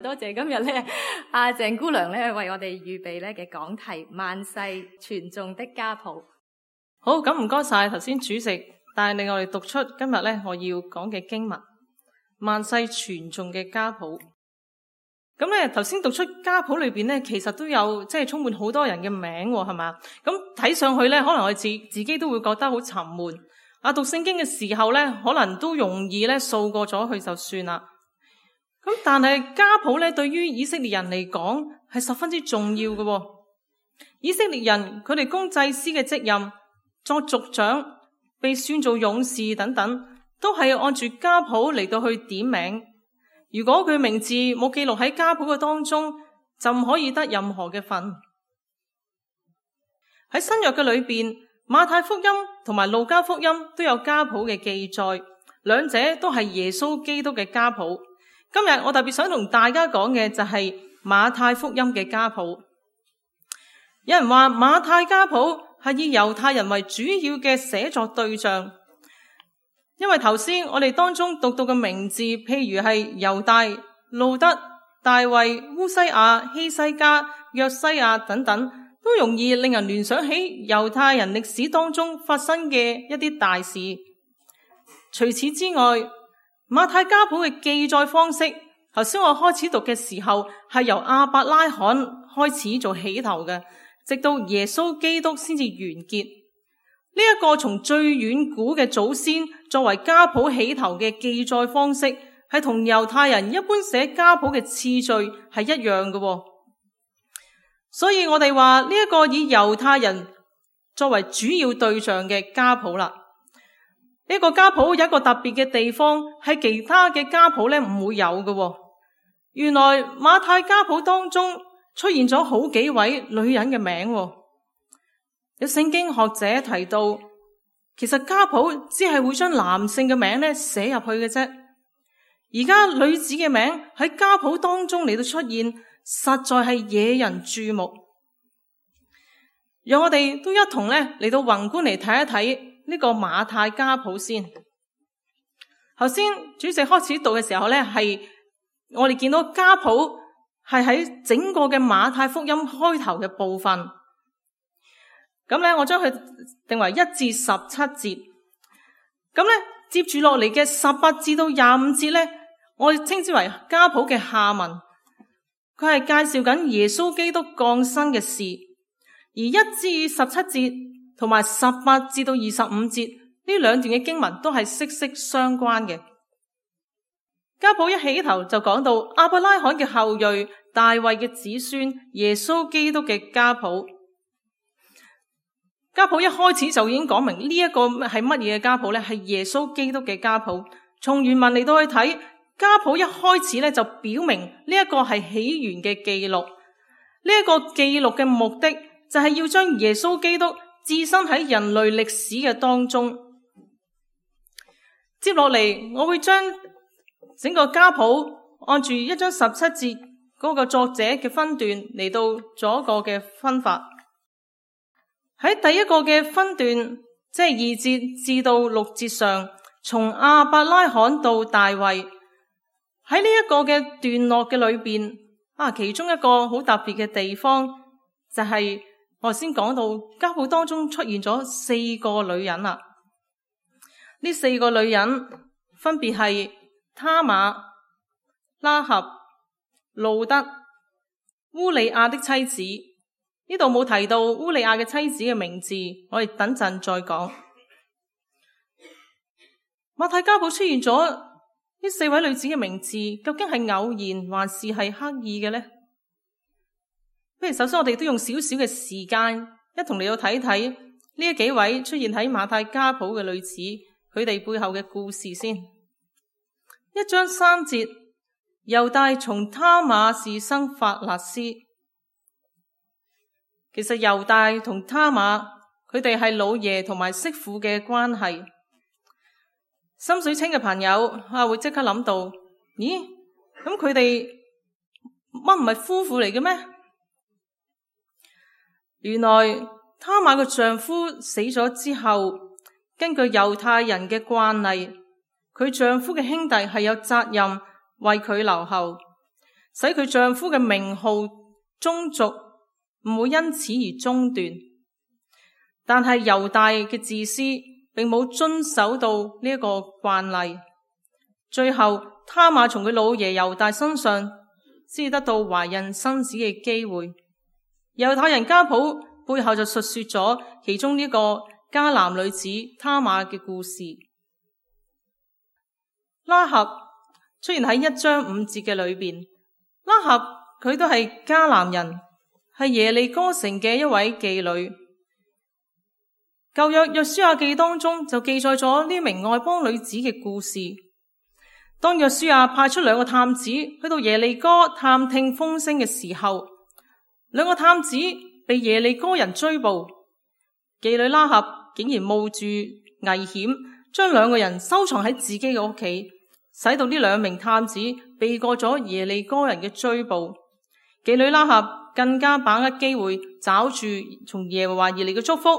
多謝今日咧，鄭姑娘咧為我哋預備咧嘅講題萬世傳頌的家譜。好，咁唔該晒頭先主席帶領我哋讀出今日咧我要講嘅經文萬世傳頌嘅家譜。咁咧頭先讀出家譜裏邊咧，其實都有即係充滿好多人嘅名，係嘛？咁睇上去咧，可能我自己都會覺得好沉悶。讀聖經嘅時候咧，可能都容易咧掃過咗去就算啦。咁但係家譜咧，對於以色列人嚟講係十分之重要嘅。以色列人佢哋供祭司嘅職任、作族長、被選做勇士等等，都係按住家譜嚟到去點名。如果佢名字冇記錄喺家譜嘅當中，就唔可以得任何嘅份。喺新約嘅裏邊，馬太福音同埋路加福音都有家譜嘅記載，兩者都係耶穌基督嘅家譜。今日我特別想同大家講嘅就係馬太福音嘅家譜。有人話馬太家譜係以猶太人為主要嘅寫作對象，因為頭先我哋當中讀到嘅名字，譬如係猶大、路德、大衛、烏西亞、希西家、約西亞等等，都容易令人聯想起猶太人歷史當中發生嘅一啲大事。除此之外，馬太家譜嘅記載方式，頭先我開始讀嘅時候係由亞伯拉罕開始做起頭嘅，直到耶穌基督先至完結。呢一個從最遠古嘅祖先作為家譜起頭嘅記載方式，係同猶太人一般寫家譜嘅次序係一樣嘅。所以我哋話呢一個以猶太人作為主要對象嘅家譜啦。呢個家譜有一個特別嘅地方，係其他嘅家譜咧唔會有嘅。原來馬太家譜當中出現咗好幾位女人嘅名。有聖經學者提到，其實家譜只係會將男性嘅名咧寫入去嘅啫。而家女子嘅名喺家譜當中嚟到出現，實在係惹人注目。讓我哋都一同咧嚟到宏觀嚟睇一睇呢個馬太家譜先。頭先主席開始讀嘅時候咧，係我哋見到家譜係喺整個嘅馬太福音開頭嘅部分。咁咧，我將佢定為1至17節。咁咧，接住落嚟嘅18至到25節咧，我哋稱之為家譜嘅下文。佢係介紹緊耶穌基督降生嘅事。而1至17節同埋18至到25節呢兩段嘅經文都係息息相關嘅。家譜一起頭就講到亞伯拉罕嘅後裔、大衛嘅子孫、耶穌基督嘅家譜。家譜一開始就已經講明呢一個係乜嘢嘅家譜呢？係耶穌基督嘅家譜。從原文嚟到去睇，家譜一開始咧就表明呢一個係起源嘅記錄。呢一個記錄嘅目的就係要將耶穌基督置身喺人類歷史嘅當中。接落嚟，我會將整個家譜按住1章17節嗰個作者嘅分段嚟到做一個嘅分法。喺第一個嘅分段，即係2節至到6節上，從亞伯拉罕到大衛，喺呢一個嘅段落嘅裏邊，其中一個好特別嘅地方就係我先講到家譜當中出現咗4個女人啦。呢4個女人分別係他瑪、拉合、路德、烏利亞的妻子。呢度冇提到烏利亞嘅妻子嘅名字，我哋等陣再講。馬太家譜出現咗呢4位女子嘅名字，究竟係偶然還是係刻意嘅呢？不如首先我哋都用少少嘅時間，一同嚟到睇睇呢幾位出現喺馬太家譜嘅女子，佢哋背後嘅故事先。1章3節，猶大從他瑪是生法勒斯。其實猶大同他瑪佢哋係老爺同埋媳婦嘅關係。心水清嘅朋友會即刻諗到，咦？咁佢哋乜唔係夫婦嚟嘅咩？原來他瑪嘅丈夫死咗之後，根據猶太人嘅慣例，佢丈夫嘅兄弟係有責任為佢留後。使佢丈夫嘅名號、宗族唔會因此而中斷。但係猶大嘅自私並冇遵守到呢一個慣例，最後他瑪從佢老爺猶大身上先得到懷孕生子嘅機會。猶太人家譜背後就述說咗其中呢個迦南女子他瑪嘅故事。拉合出現喺1章5節嘅裏邊，拉合佢都係迦南人，係耶利哥城嘅一位妓女。舊約約書亞記當中就記載咗呢名外邦女子嘅故事。當約書亞派出2個探子去到耶利哥探聽風聲嘅時候，2個探子被耶利哥人追捕，妓女拉合竟然冒住危險將2個人收藏喺自己嘅屋企，使到呢2名探子避過咗耶利哥人嘅追捕。妓女拉合更加把握機會抓住從耶和華而嚟嘅祝福。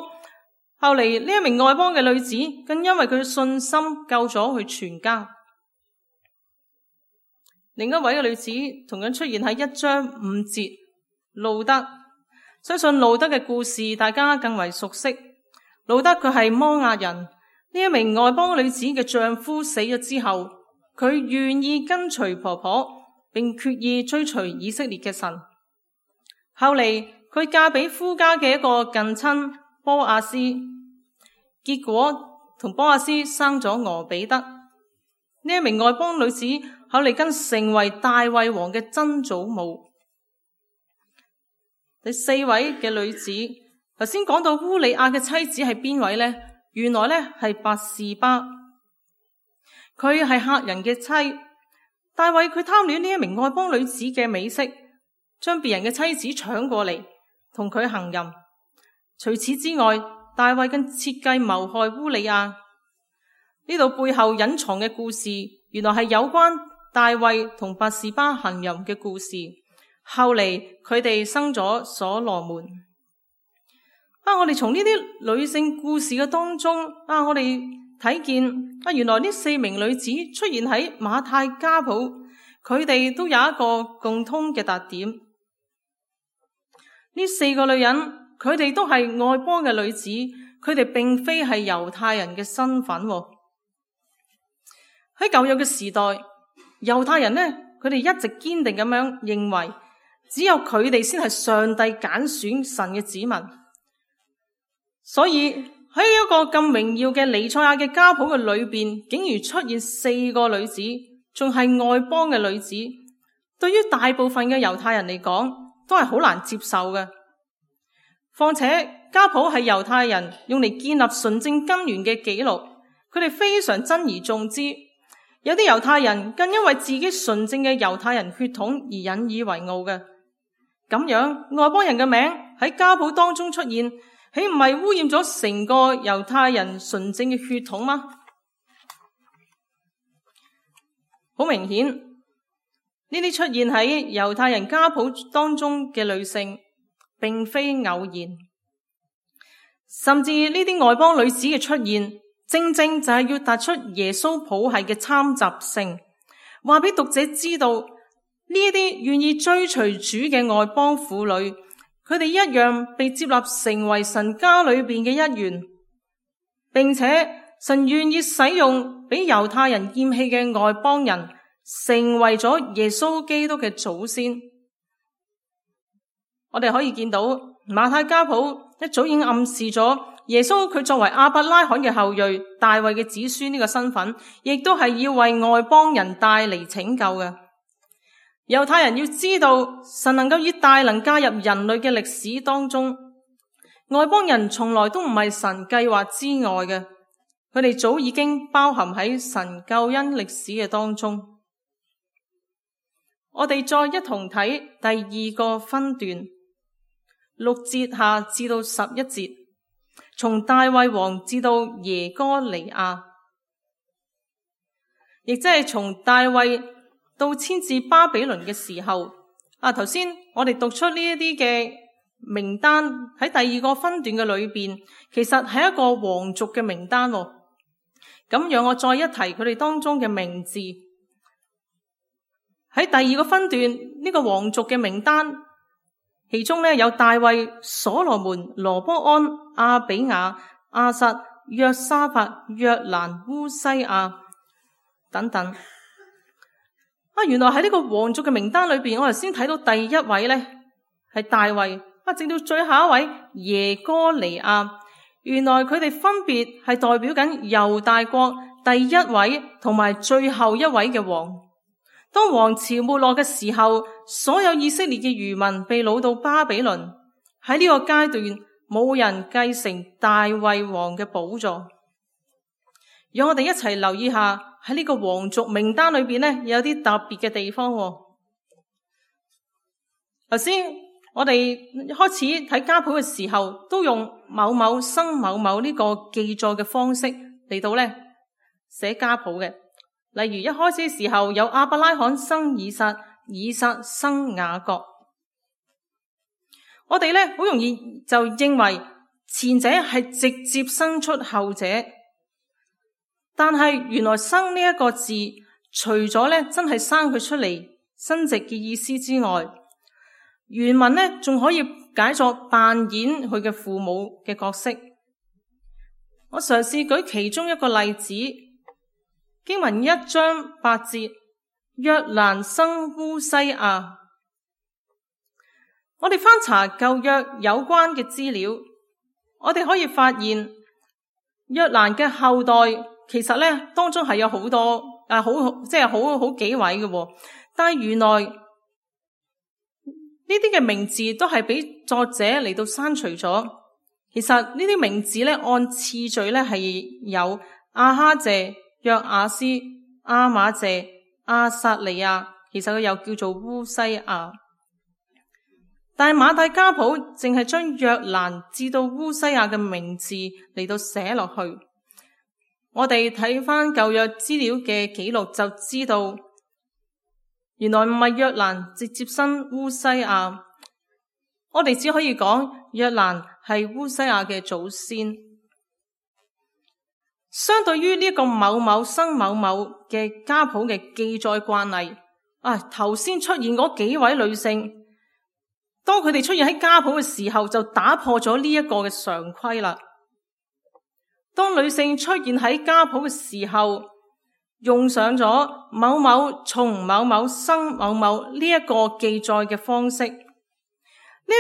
後嚟呢一名外邦嘅女子更因為佢嘅信心救咗佢全家。另一位嘅女子同樣出現喺1章5節，路德。相信路德嘅故事大家更為熟悉。路德佢係摩押人，呢一名外邦女子嘅丈夫死咗之後，佢願意跟隨婆婆，並決意追隨以色列嘅神。後嚟佢嫁俾夫家嘅一個近親波阿斯，結果同波阿斯生咗俄比德。呢一名外邦女子後嚟更成為大衛王嘅曾祖母。第4位嘅女子，頭先講到烏利亞嘅妻子係邊位呢？原來呢係拔示巴，佢係客人嘅妻。大衛佢貪戀呢一名外邦女子嘅美色，將別人嘅妻子搶過嚟同佢行淫。除此之外，大衛更設計謀害烏利亞。呢度背後隱藏嘅故事，原來係有關大衛同拔示巴行淫嘅故事。後嚟佢哋生咗所羅門。我哋從呢啲女性故事嘅當中，我哋睇見原來呢4名女子出現喺馬太家譜，佢哋都有一個共通嘅特點。呢4個女人，佢哋都係外邦嘅女子，佢哋並非係猶太人嘅身份。喺舊約嘅時代，猶太人呢，佢哋一直堅定咁樣認為，只有佢哋先係上帝揀選神嘅子民。所以喺一個咁榮耀嘅彌賽亞嘅家譜嘅裏邊，竟然出現4個女子，仲係外邦嘅女子，對於大部分嘅猶太人嚟講，都係好難接受嘅。況且家譜係猶太人用嚟建立純正根源嘅記錄，佢哋非常珍而重之。有啲猶太人更因為自己純正嘅猶太人血統而引以為傲嘅。咁樣外邦人嘅名喺家譜當中出現，豈唔係污染咗成個猶太人純正嘅血統嗎？好明顯，呢啲出現喺猶太人家譜當中嘅女性並非偶然，甚至呢啲外邦女子嘅出現，正正就係要突出耶穌譜系嘅參雜性，話俾讀者知道，呢啲願意追隨主嘅外邦婦女，佢哋一樣被接納成為神家裏邊嘅一員，並且神願意使用俾猶太人厭棄嘅外邦人，成為咗耶穌基督嘅祖先。我哋可以見到馬太家譜一早已經暗示咗耶穌佢作為亞伯拉罕嘅後裔、大衛嘅子孫呢個身份，亦都係要為外邦人帶嚟拯救嘅。猶太人要知道神能夠以大能加入人類嘅歷史當中，外邦人從來都唔係神計劃之外嘅，佢哋早已經包含喺神救恩歷史嘅當中。我哋再一同睇第2個分段，6節下至到11節，從大衛王至到耶哥尼亞，亦即係從大衛到遷至巴比倫嘅時候。頭先我哋讀出呢一啲嘅名單喺第2個分段嘅裏邊，其實係一個皇族嘅名單。咁讓我再一提佢哋當中嘅名字。喺第2個分段，呢呢個皇族嘅名單，其中呢有大衛、所羅門、羅波安、亞比雅、亞撒、約沙法、約蘭、烏西亞等等。原來喺呢個皇族嘅名單裏邊，我哋先睇到第一位呢係大衛，直到最後一位耶哥尼亞，原來佢哋分別係代表緊猶大國第一位同埋最後一位嘅王。當王朝沒落嘅時候，所有以色列嘅餘民被擄到巴比倫，喺呢個階段冇人繼承大衛王嘅寶座。讓我哋一齊留意下喺呢個皇族名單裏邊呢，有啲特別嘅地方。頭先我哋開始睇家譜嘅時候，都用某某生某某呢個記載嘅方式嚟到呢寫家譜嘅。例如一開始嘅時候有亞伯拉罕生以撒，以撒生雅各。我哋呢好容易就認為前者係直接生出後者，但係原來生呢一個字，除咗呢真係生佢出嚟生殖嘅意思之外，原文呢仲可以解作扮演佢嘅父母嘅角色。我嘗試舉其中一個例子，經文1章8節，約蘭生烏西亞。我哋翻查舊約有關嘅資料，我哋可以發現約蘭嘅後代其實呢當中係有好多好幾位嘅，但係原來呢啲嘅名字都係俾作者嚟到刪除咗。其實呢啲名字呢按次序呢係有亞哈謝、約亞斯、亞瑪謝、亞撒利亞，其實佢又叫做烏西亞。但係馬太家譜淨係將約蘭至到烏西亞嘅名字嚟到寫落去。我哋睇翻舊約資料嘅記錄就知道，原來唔係約蘭直接生烏西亞，我哋只可以講約蘭係烏西亞嘅祖先。相對於呢個某某生某某嘅家譜嘅記載慣例，頭先出現嗰幾位女性，當佢哋出現喺家譜嘅時候，就打破咗呢一個嘅常規啦。當女性出現喺家譜嘅時候，用上咗某某從某某生某某呢一個記載嘅方式。呢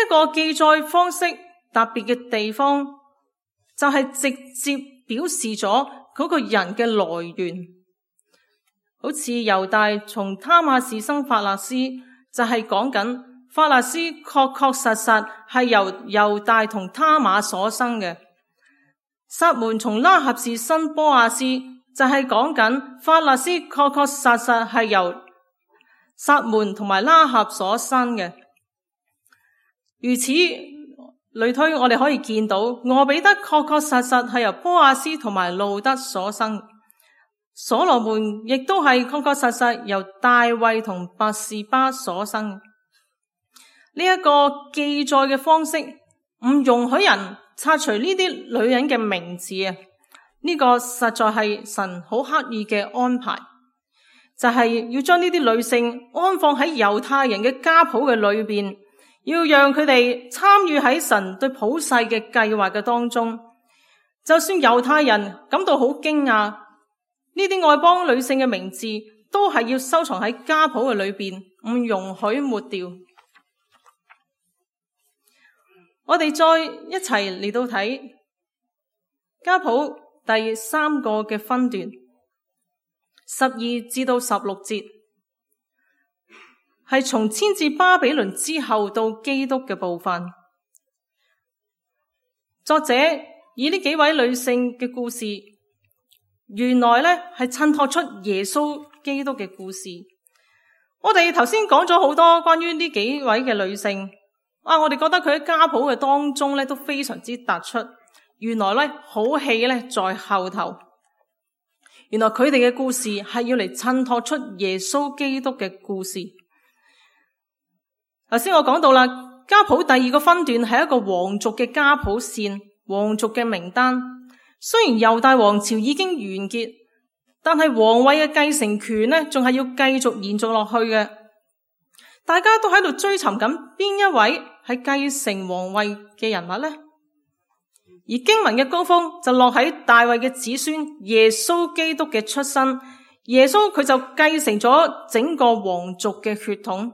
一個記載方式特別嘅地方，就係直接表示咗嗰個人嘅來源。好似猶大從他瑪士生法勒斯，就係講緊法勒斯確確實實係由猶大同他瑪所生嘅。撒門從拉合士生波亞斯，就係講緊法勒斯確確實實係由撒門同埋拉合所生嘅。如此類推，我哋可以見到俄比德確確實實係由波亞斯同埋路德所生，所羅門亦都係確確實實由大衛同拔士巴所生。呢一個記載嘅方式唔容許人拆除呢啲女人嘅名字啊！呢個實在係神好刻意嘅安排，就係要將呢啲女性安放喺猶太人嘅家譜嘅裏邊，要讓佢哋參與喺神對普世嘅計劃嘅當中。就算猶太人感到好驚訝，呢啲外邦女性嘅名字都係要收藏喺家譜嘅裏邊，唔容許抹掉。我哋再一齊嚟到睇家譜第3個嘅分段，12至到16節，係從遷至巴比倫之後到基督嘅部分。作者以呢幾位女性嘅故事，原來呢係襯托出耶穌基督嘅故事。我哋頭先講咗好多關於呢幾位嘅女性。我哋覺得佢喺家譜嘅當中咧都非常之突出。原來咧好戲咧在後頭。原來佢哋嘅故事係要嚟襯托出耶穌基督嘅故事。頭先我講到啦，家譜第2個分段係一個皇族嘅家譜線，皇族嘅名單。雖然猶大王朝已經完結，但係皇位嘅繼承權呢仲係要繼續延續落去嘅。大家都喺度追尋緊邊一位係繼承皇位嘅人物呢？而經文嘅高峰就落喺大衛嘅子孫耶穌基督嘅出生。耶穌佢就繼承咗整個皇族嘅血統。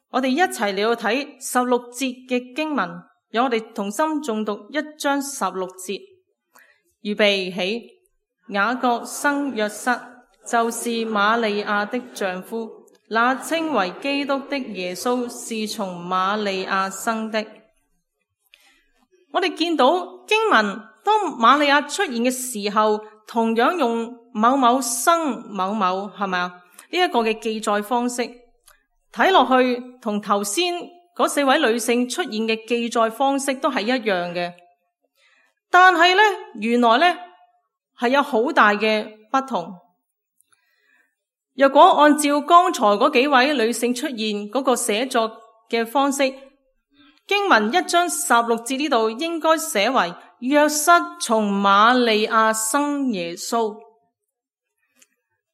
我哋一齊嚟到睇16節嘅經文，讓我哋同心誦讀1章16節。預備起，雅各生約瑟，就是瑪利亞的丈夫，那稱為基督的耶穌是從瑪利亞生的。我哋見到經文當瑪利亞出現嘅時候，同樣用某某生某某，係咪啊？呢一個嘅記載方式睇落去同頭先嗰4位女性出現嘅記載方式都係一樣嘅，但係呢，原來呢係有好大嘅不同。若果按照剛才嗰幾位女性出現嗰個寫作嘅方式，經文1章16節呢度應該寫為約瑟從瑪利亞生耶穌，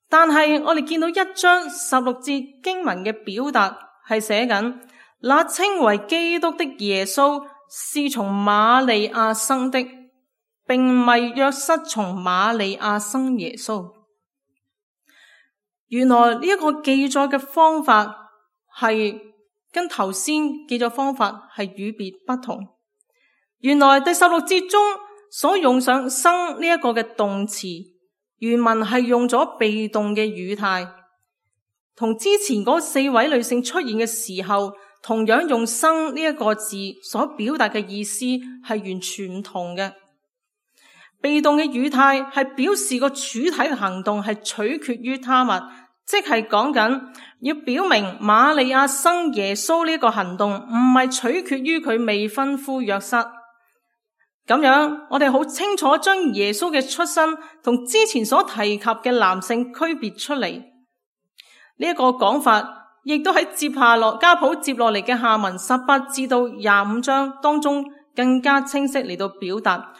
但係我哋見到1章16節經文嘅表達係寫緊那稱為基督的耶穌是從瑪利亞生的，並唔係約瑟從瑪利亞生耶穌。原來呢一個記載嘅方法係跟頭先記載方法係與別不同。原來第16節中所用上生呢一個嘅動詞，原文係用咗被動嘅語態，同之前嗰4位女性出現嘅時候同樣用生呢一個字所表達嘅意思係完全唔同嘅。被動嘅語態係表示個主體嘅行動係取決於他物，即係講緊要表明瑪利亞生耶穌呢個行動唔係取決於佢未婚夫約瑟。咁樣我哋好清楚將耶穌嘅出生同之前所提及嘅男性區別出嚟。呢一個講法亦都喺接下落家譜接落嚟嘅下文18至到25章當中更加清晰嚟到表達。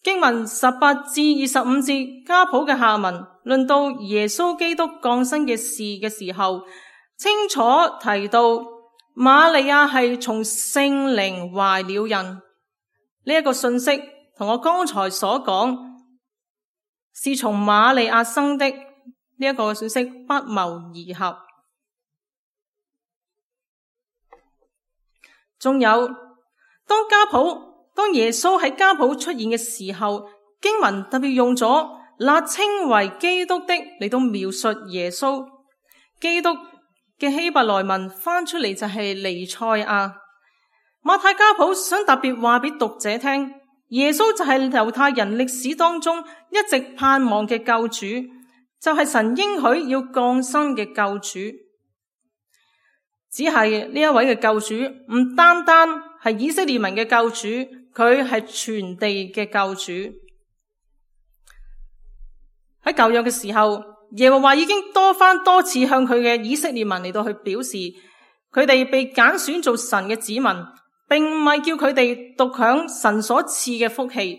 經文18至25節家譜嘅下文論到耶穌基督降生嘅事嘅時候，清楚提到瑪利亞係從聖靈懷了孕。呢一個信息同我剛才所講是從瑪利亞生的呢一個信息不謀而合。仲有當耶穌喺家譜出現嘅時候，經文特別用咗那稱為基督的嚟到描述耶穌。基督嘅希伯來文翻出嚟就係彌賽亞。馬太家譜想特別話俾讀者聽，耶穌就係猶太人歷史當中一直盼望嘅救主，就係神應許要降生嘅救主。只係呢一位嘅救主唔單單係以色列民嘅救主，佢係全地嘅救主。喺舊約嘅時候，耶和華已經多次向佢嘅以色列民嚟到去表示，佢哋被揀選做神嘅子民，並唔係叫佢哋獨享神所賜嘅福氣。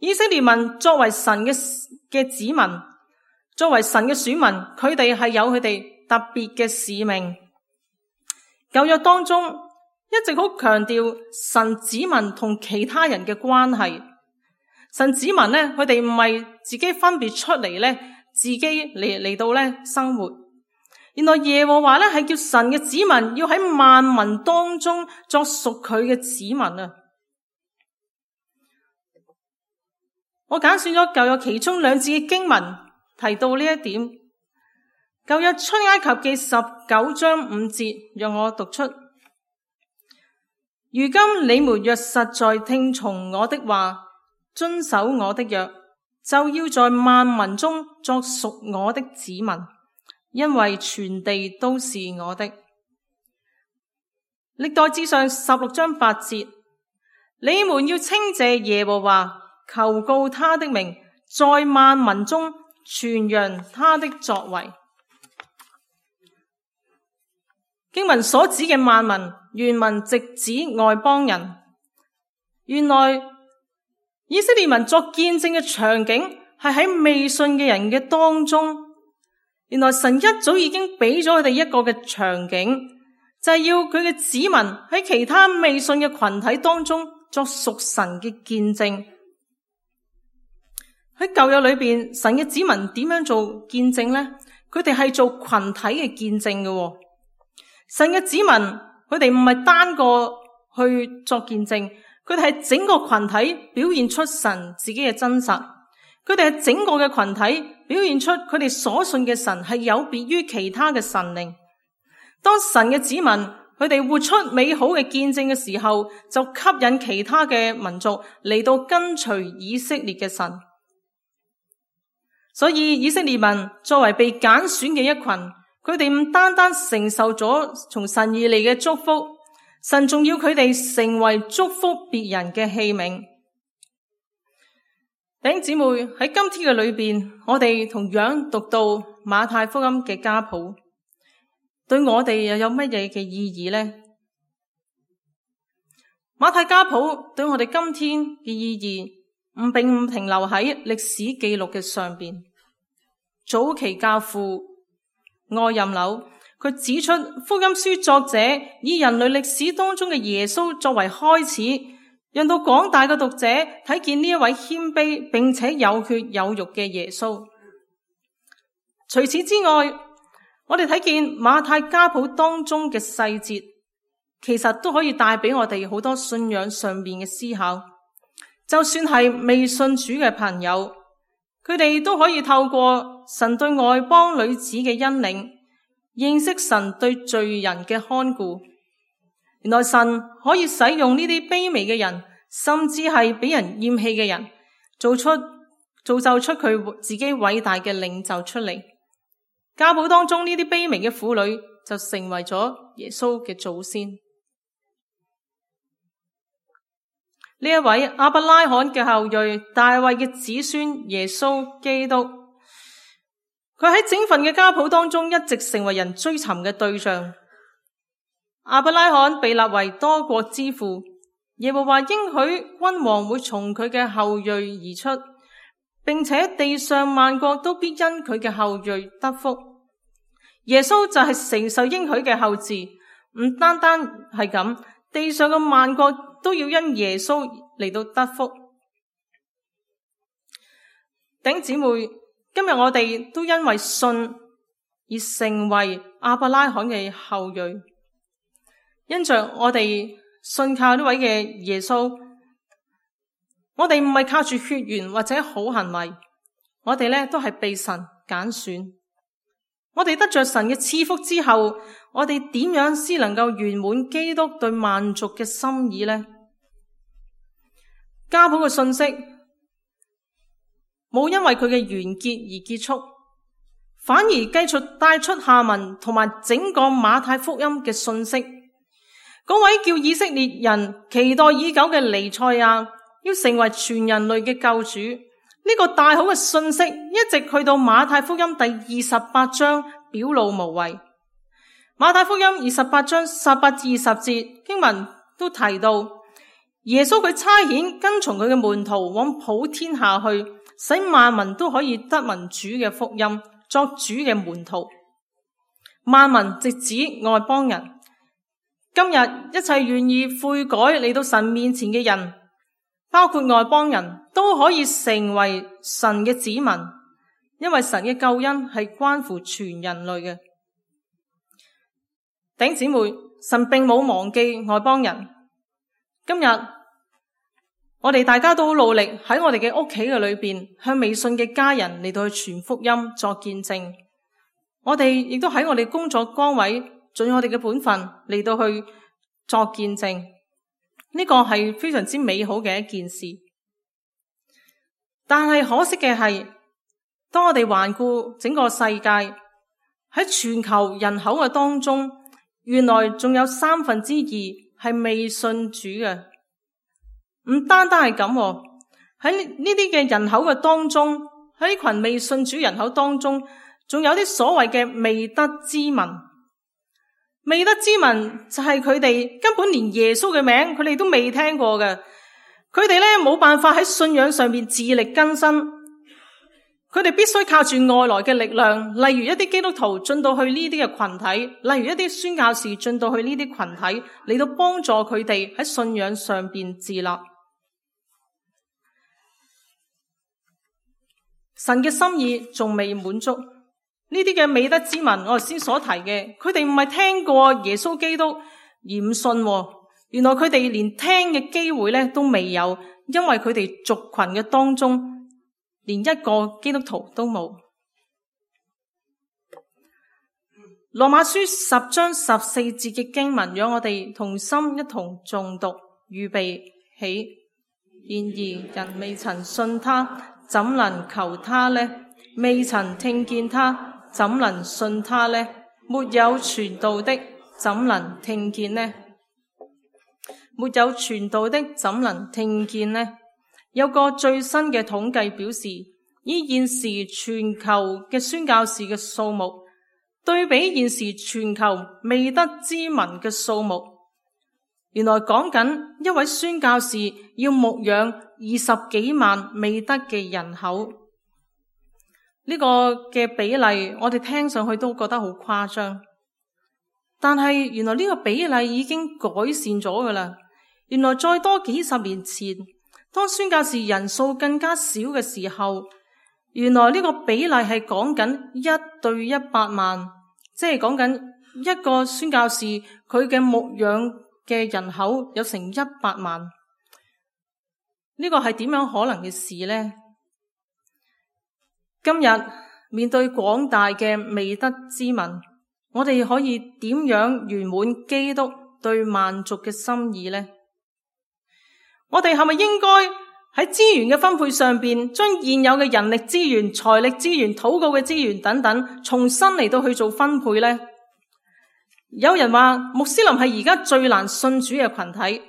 以色列民作為神嘅子民，作為神嘅選民，佢哋係有佢哋特別嘅使命。舊約當中一直好強調神子民同其他人嘅關係。神子民呢，佢哋唔係自己分別出嚟呢，自己嚟到呢生活。原來耶和華呢係叫神嘅子民要喺萬民當中作屬佢嘅子民啊！我揀選咗舊約其中2節嘅經文提到呢一點。舊約出埃及記19章5節，讓我讀出：如今你們若實在聽從我的話，遵守我的約，就要在萬民中作屬我的子民，因為全地都是我的。歷代志上16章8節，你們要稱謝耶和華，求告他的名，在萬民中傳揚他的作為。經文所指嘅萬民，原文直指外邦人。原來以色列民作見證嘅場景係喺未信嘅人嘅當中。原來神一早已經俾咗佢哋一個嘅場景，就係要佢嘅子民喺其他未信嘅群體當中作屬神嘅見證。喺舊約裏邊，神嘅子民點樣做見證呢？佢哋係做群體嘅見證嘅。神嘅子民，佢哋唔係單個去作見證，佢哋係整個群體表現出神自己嘅真實。佢哋係整個嘅群體表現出佢哋所信嘅神係有別於其他嘅神靈。當神嘅子民佢哋活出美好嘅見證嘅時候，就吸引其他嘅民族嚟到跟隨以色列嘅神。所以以色列民作為被揀選嘅一群，佢哋唔單單承受咗從神而嚟嘅祝福，神仲要佢哋成為祝福別人嘅器皿。弟兄姊妹，喺今天嘅裏邊，我哋同樣讀到馬太福音嘅家譜，對我哋又有乜嘢嘅意義呢？馬太家譜對我哋今天嘅意義並唔停留喺歷史記錄嘅上邊。早期教父愛任紐，佢指出福音書作者以人類歷史當中嘅耶穌作為開始，讓到廣大嘅讀者睇見呢一位謙卑並且有血有肉嘅耶穌。除此之外，我哋睇見馬太家譜當中嘅細節，其實都可以帶俾我哋好多信仰上面嘅思考。就算係未信主嘅朋友，佢哋都可以透過神對外邦女子嘅恩領，認識神對罪人嘅看顧。原來神可以使用呢啲卑微嘅人，甚至係俾人厭棄嘅人，造就出佢自己偉大嘅領袖出嚟。家譜當中呢啲卑微嘅婦女就成為咗耶穌嘅祖先。呢一位亞伯拉罕嘅後裔，大衛嘅子孫耶穌基督，佢喺整份嘅家譜當中一直成為人追尋嘅對象。亞伯拉罕被立為多國之父，耶和華應許君王會從佢嘅後裔而出，並且地上萬國都必因佢嘅後裔得福。耶穌就係承受應許嘅後嗣，唔單單係咁，地上嘅萬國都要因耶穌嚟到得福。弟兄姊妹，今日我哋都因為信而成為亞伯拉罕嘅後裔，因着我哋信靠呢位嘅耶穌，我哋唔係靠住血緣或者好行為，我哋呢都係被神揀選。我哋得着神嘅賜福之後，我哋點樣先能夠圓滿基督對萬族嘅心意呢？家譜嘅信息冇因為佢嘅完結而結束，反而繼續帶出下文同埋整個馬太福音嘅信息。嗰位叫以色列人期待已久嘅彌賽亞要成為全人類嘅救主，呢個大好嘅信息一直去到馬太福音第28章表露無遺。馬太福音28章18至20節經文都提到，耶穌佢差遣跟從佢嘅門徒往普天下去，使萬民都可以得聞主嘅福音，作主嘅門徒。萬民直指外邦人。今日一切願意悔改嚟到神面前嘅人，包括外邦人，都可以成為神嘅子民，因為神嘅救恩係關乎全人類嘅。弟兄姊妹，神並冇忘記外邦人。今日我哋大家都好努力喺我哋嘅屋企嘅裏邊，向未信嘅家人嚟到去傳福音作見證。我哋亦都喺我哋工作崗位盡我哋嘅本分嚟到去作見證，呢個係非常之美好嘅一件事。但係可惜嘅係，當我哋環顧整個世界，喺全球人口嘅當中，原來仲有2/3係未信主嘅。唔單單係咁，喺呢啲嘅人口嘅當中，喺呢群未信主人口當中，仲有啲所謂嘅未得之民。未得之民就係佢哋根本連耶穌嘅名佢哋都未聽過嘅，佢哋咧冇辦法喺信仰上面自力更生，佢哋必須靠住外來嘅力量，例如一啲基督徒進到去呢啲嘅群體，例如一啲宣教士進到去呢啲群體，嚟到幫助佢哋喺信仰上邊自立。神嘅心意仲未滿足，呢啲嘅未得之民，我頭先所提嘅，佢哋唔係聽過耶穌基督而唔信，原來佢哋連聽嘅機會咧都未有，因為佢哋族群嘅當中連一個基督徒都冇。羅馬書10章14節嘅經文，讓我哋同心一同誦讀，預備起。然而人未曾信他，怎能求他呢？未曾聽見他，怎能信他呢？沒有傳道的，怎能聽見呢？沒有傳道的，怎能聽見呢？有個最新嘅統計表示，以現時全球嘅宣教士嘅數目，對比現時全球未得之民嘅數目，原來講緊一位宣教士要牧養20幾萬未得嘅人口。呢個嘅比例我哋聽上去都覺得好誇張，但係原來呢個比例已經改善咗㗎喇。原來再多幾十年前，當宣教士人數更加少嘅時候，原來呢個比例係講緊1對100萬，即係講緊一個宣教士佢嘅牧養嘅人口有成100萬。呢個係點樣可能嘅事呢？今日面對廣大嘅未得之民，我哋可以點樣圓滿基督對萬族嘅心意呢？我哋係咪應該喺資源嘅分配上邊，將現有嘅人力資源、財力資源、禱告嘅資源等等，重新嚟到去做分配呢？有人話穆斯林係而家最難信主嘅群體，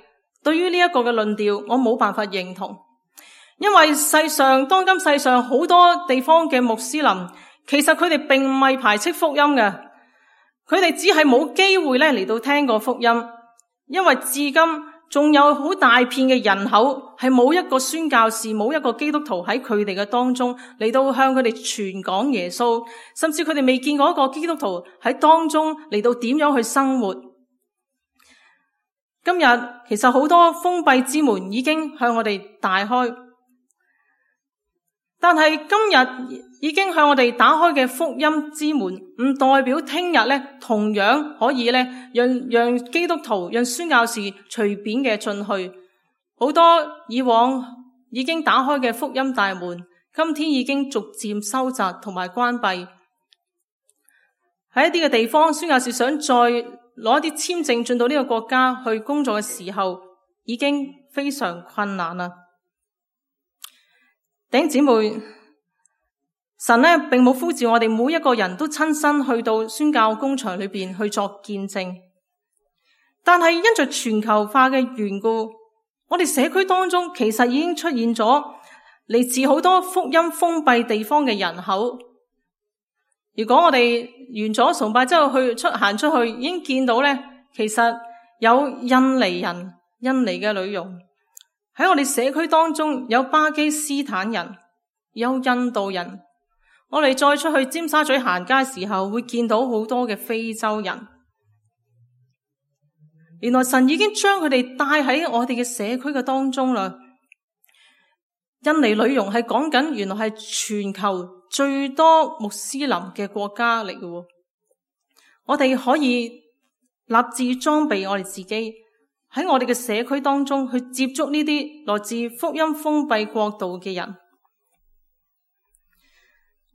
對於呢一個嘅論調，我冇辦法認同。因為當今世上好多地方嘅穆斯林，其實佢哋並唔係排斥福音嘅，佢哋只係冇機會咧嚟到聽過福音。因為至今仲有好大片嘅人口係冇一個宣教士、冇一個基督徒喺佢哋嘅當中嚟到向佢哋傳講耶穌，甚至佢哋未見過一個基督徒喺當中嚟到點樣去生活。今日其實好多封閉之門已經向我哋大開，但係今日已經向我哋打開嘅福音之門，唔代表聽日咧同樣可以咧讓基督徒、讓宣教士隨便嘅進去。好多以往已經打開嘅福音大門，今天已經逐漸收窄同埋關閉。喺一啲嘅地方，宣教士想再攞一啲簽證進到呢個國家去工作嘅時候，已經非常困難啦。弟兄姊妹，神呢並冇呼召我哋每一個人都親身去到宣教工場裏邊去作見證，但係因着全球化嘅緣故，我哋社區當中其實已經出現咗嚟自好多福音封閉地方嘅人口。如果我哋完咗崇拜之後行出去，已經見到呢，其實有印尼人、印尼嘅女傭。喺我哋社區當中有巴基斯坦人，有印度人。我哋再出去尖沙咀行街時候，會見到好多嘅非洲人。原來神已經將佢哋帶喺我哋嘅社區嘅當中啦。印尼女傭係講緊，原來係全球最多穆斯林嘅國家嚟嘅。我哋可以立志裝備我哋自己，喺我哋嘅社區當中去接觸呢啲來自福音封閉國度嘅人。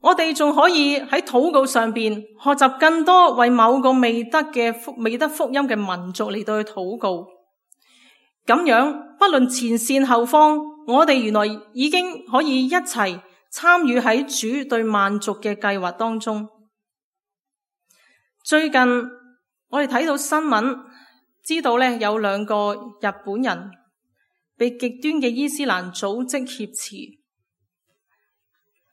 我哋仲可以喺禱告上邊學習更多為某個未得福音嘅民族嚟到去禱告。咁樣不論前線後方，我哋原來已經可以一齊參與喺主對萬族嘅計劃當中。最近我哋睇到新聞，知道咧有2個日本人被極端嘅伊斯蘭組織挾持。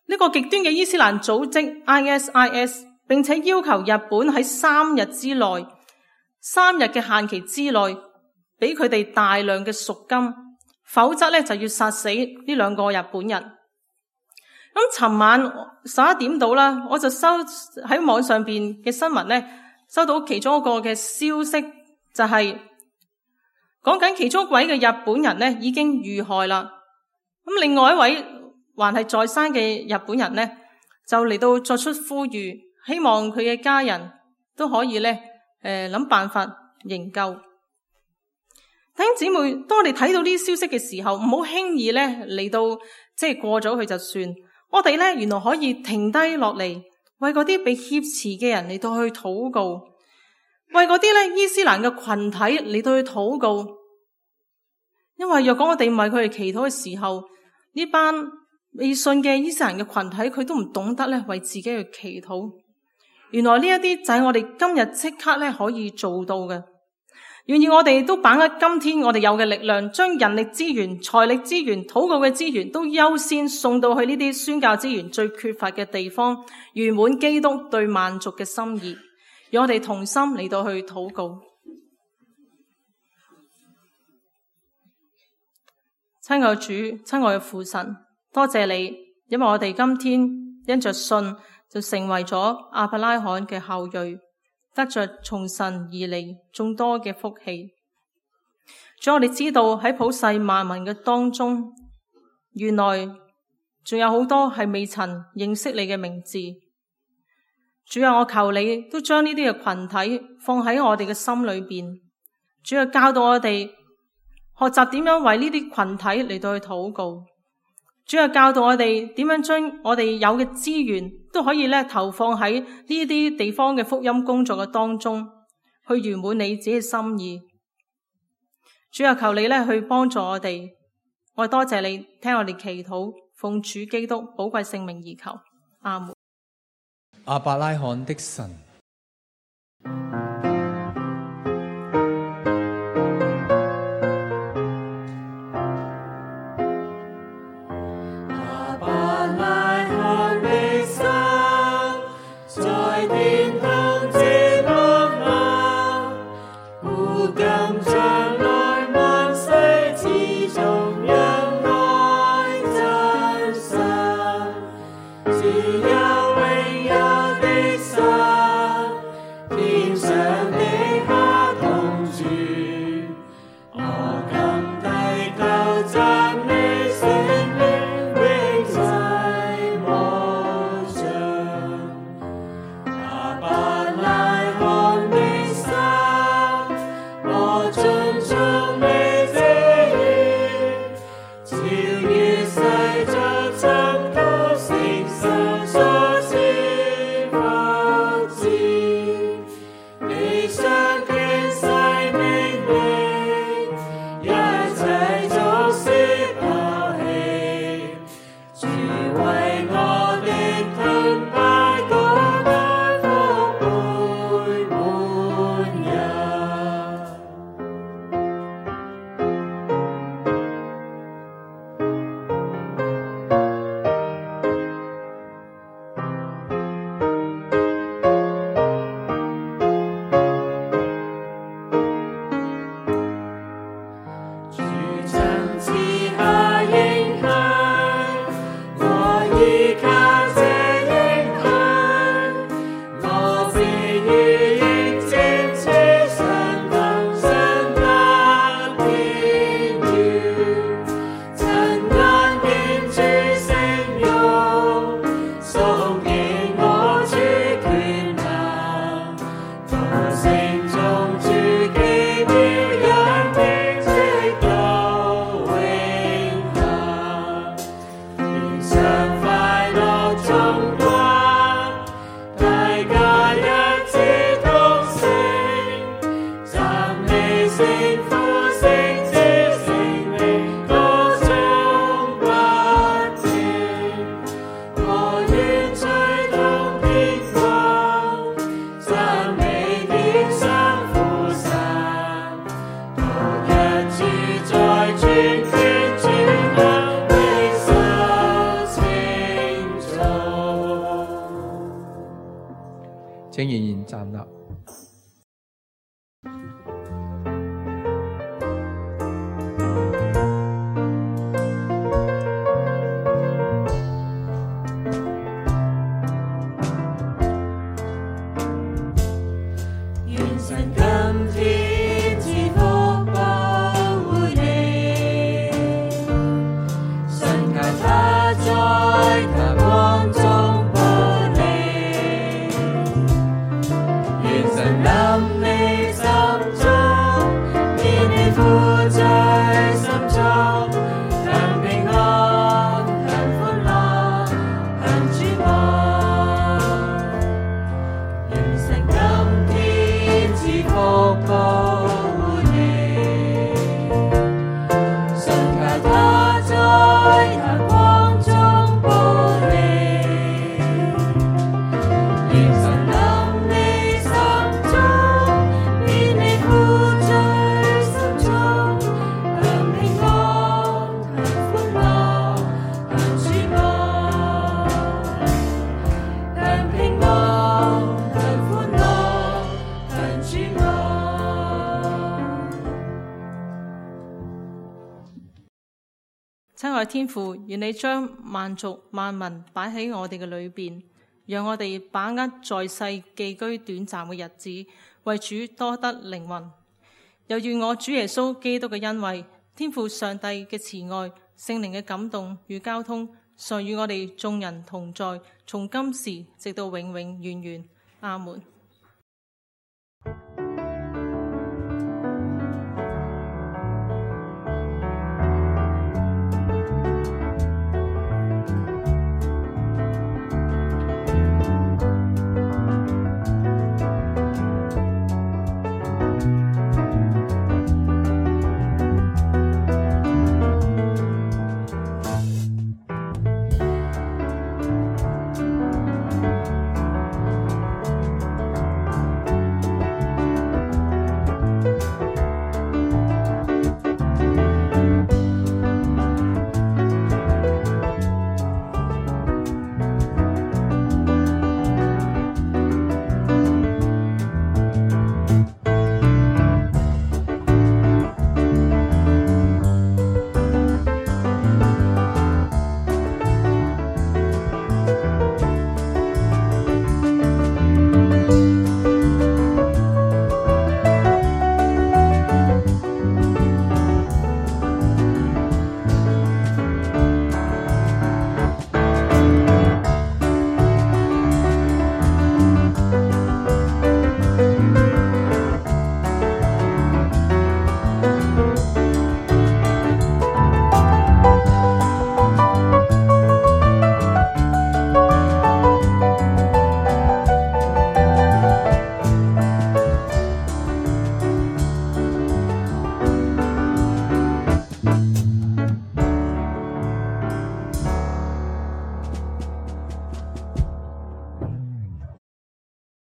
呢個極端嘅伊斯蘭組織 ISIS， 並且要求日本喺3日之內，3日嘅限期之內，俾佢哋大量嘅贖金，否則咧就要殺死呢2個日本人。咁尋晚11點到啦，我就喺網上邊嘅新聞咧，收到其中一個嘅消息，就係講緊其中一位嘅日本人咧已經遇害啦。咁另外一位還係在生嘅日本人咧，就嚟到作出呼籲，希望佢嘅家人都可以咧諗辦法營救。弟兄姊妹，當我哋睇到呢啲消息嘅時候，唔好輕易咧嚟到過咗去就算。我哋咧原來可以停低落嚟，為嗰啲被挾持嘅人嚟到去禱告，為嗰啲咧伊斯蘭嘅群體嚟到去禱告。因為若果我哋唔為佢哋祈禱嘅時候，呢班未信嘅伊斯蘭嘅群體，佢都唔懂得咧為自己去祈禱。原來呢一啲就係我哋今日即刻咧可以做到嘅。願意我哋都把握今天我哋有嘅力量，將人力資源、財力資源、禱告嘅資源都優先送到去呢啲宣教資源最缺乏嘅地方，圓滿基督對萬族嘅心意。讓我哋同心嚟到去禱告。親愛主，親愛嘅父神，多謝你，因為我哋今天因着信就成為咗亞伯拉罕嘅後裔，得着從神而嚟眾多嘅福氣。主，我哋知道喺普世萬民嘅當中，原來仲有好多係未曾認識你嘅名字。主啊，我求你都將呢啲嘅群體放喺我哋嘅心裏邊。主啊，教導我哋學習點樣為呢啲群體嚟到去禱告。主啊，教導我哋點樣將我哋有嘅資源都可以咧投放喺呢啲地方嘅福音工作嘅當中，去圓滿你自己嘅心意。主啊，求你咧去幫助我哋。我多謝你聽我哋祈禱，奉主基督寶貴聖名而求，阿門。亞伯拉罕的神。請仍然站立。天賜福保護你，信靠他在他光中保你，願神臨你心中，免你負在心中，享平安，享歡樂，享主愛。願神今天賜福保護你，信靠他在他光中保你，願神臨你心中，免你負在心中，享平安，享歡樂，享主愛。享平安，享歡樂，享主愛。親愛天父，願你將萬族萬民擺喺我哋嘅裏邊，讓我哋把握在世寄居短暫嘅日子，為主多得靈魂。又願我主耶穌基督嘅恩惠、天父上帝嘅慈愛、聖靈嘅感動與交通，常與我哋眾人同在，從今時直到永永遠遠。阿門。